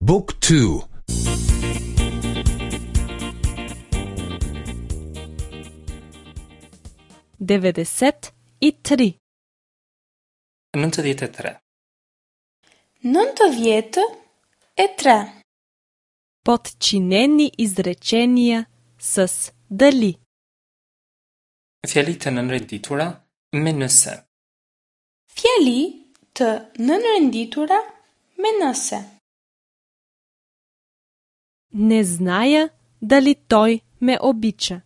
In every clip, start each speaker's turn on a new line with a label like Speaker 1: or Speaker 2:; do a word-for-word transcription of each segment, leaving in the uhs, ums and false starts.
Speaker 1: Book two.
Speaker 2: Devedeset и три.
Speaker 3: Nëntëdhjetë e tre.
Speaker 4: Nëntëdhjetë e tre.
Speaker 2: Подчинени изречения с дали.
Speaker 3: Fjali të nënrenditura me nëse.
Speaker 4: Fjali të nënrenditura me nëse.
Speaker 2: Не зная дали тој ме обича.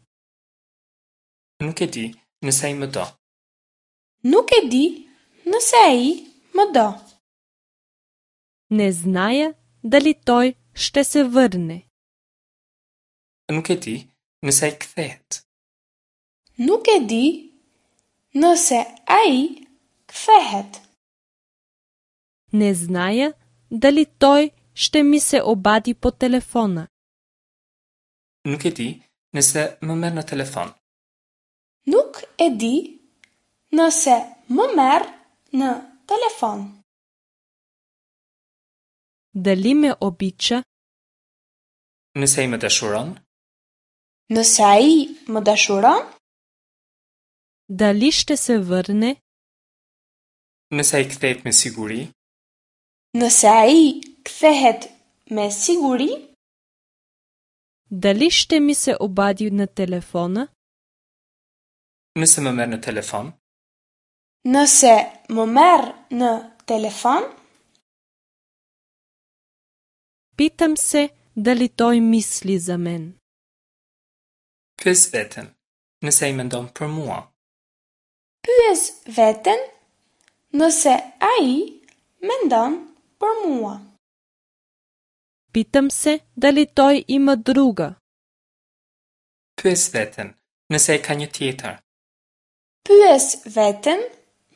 Speaker 3: Nuk e di nëse ai më do.
Speaker 4: Nuk e di nëse ai më do.
Speaker 2: Не зная дали тој ще се врне.
Speaker 3: Nuk e di nëse ai kthehet.
Speaker 4: Nuk e di nëse ai kthehet.
Speaker 2: Не зная дали тој ще ми се обади по телефона.
Speaker 3: Nuk e di nëse më merr në telefon.
Speaker 4: Nuk e di nëse më merr në telefon.
Speaker 2: Дали ме обича?
Speaker 3: Nëse ai më dashuron?
Speaker 4: Nëse ai më dashuron?
Speaker 2: Дали ще се врне?
Speaker 3: Nëse ai kthehet me siguri?
Speaker 4: Nëse ai kthehet me siguri?
Speaker 2: Дали ще ми се обади на телефона?
Speaker 3: Nëse më merr në telefon?
Speaker 4: Nëse më merr në telefon?
Speaker 2: Питам се дали тој мисли за мен.
Speaker 3: Pyes veten, nëse ai mendon për mua.
Speaker 4: Pyes veten nëse ai mendon për mua.
Speaker 2: Питам се дали тој има друга.
Speaker 3: Pyes veten, nëse ai ka një tjetër.
Speaker 4: Pyes veten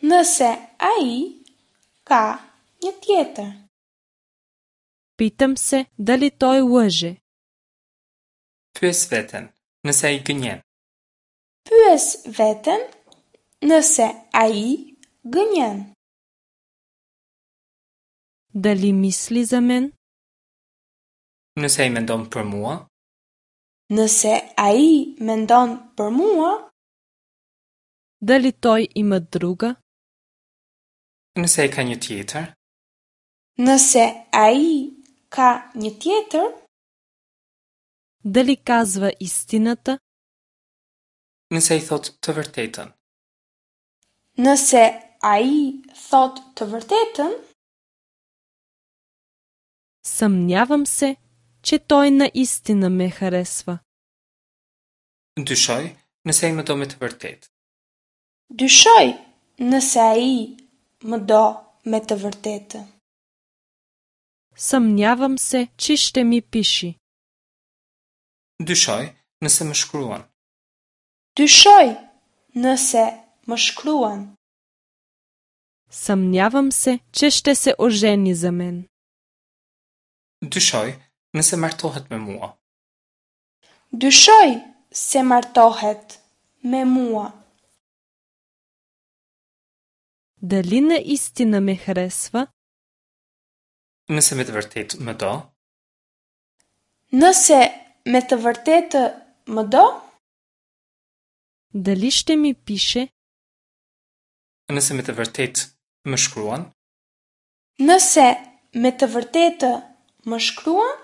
Speaker 4: nëse ai ka një tjetër.
Speaker 2: Питам се дали тој лъже.
Speaker 3: Pyes veten, nëse ai gënjen.
Speaker 4: Pyes veten nëse ai gënjen.
Speaker 2: Дали мисли за мен?
Speaker 3: Nëse ai mendon për mua?
Speaker 4: Nëse ai mendon për mua?
Speaker 2: Дали тој има друга?
Speaker 3: Nëse ai ka një tjetër?
Speaker 4: Nëse ai ka një tjetër?
Speaker 2: Дали казва истината?
Speaker 3: Nëse ai thotë të vërtetën.
Speaker 4: Nëse ai thotë të vërtetën?
Speaker 2: Съмнявам се, че тој наистина ме харесва.
Speaker 3: Dyshoj nëse ai më do me të vërtetë.
Speaker 4: Dyshoj nëse ai më do me të vërtetë.
Speaker 2: Съмнявам се, че ще ми пише.
Speaker 3: Dyshoj nëse më shkruan.
Speaker 4: Dyshoj nëse më shkruan.
Speaker 2: Съмнявам се, че ще се ожени за мен.
Speaker 3: Dyshoj nëse martohet me mua.
Speaker 4: Dyshoj se martohet me mua.
Speaker 2: Дали наистина ме харесва?
Speaker 3: Nëse me të vërtetë më do?
Speaker 4: Nëse me të vërtetë më do?
Speaker 2: Дали ще ми пише?
Speaker 3: Nëse me të vërtetë më shkruan?
Speaker 4: Nëse me të vërtetë më shkruan?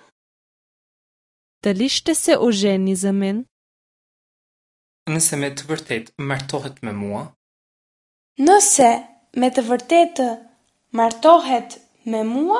Speaker 2: Дали ще се ожени за мен?
Speaker 3: Nëse me të vërtetë martohet me mua?
Speaker 4: Nëse me të vërtetë martohet me mua?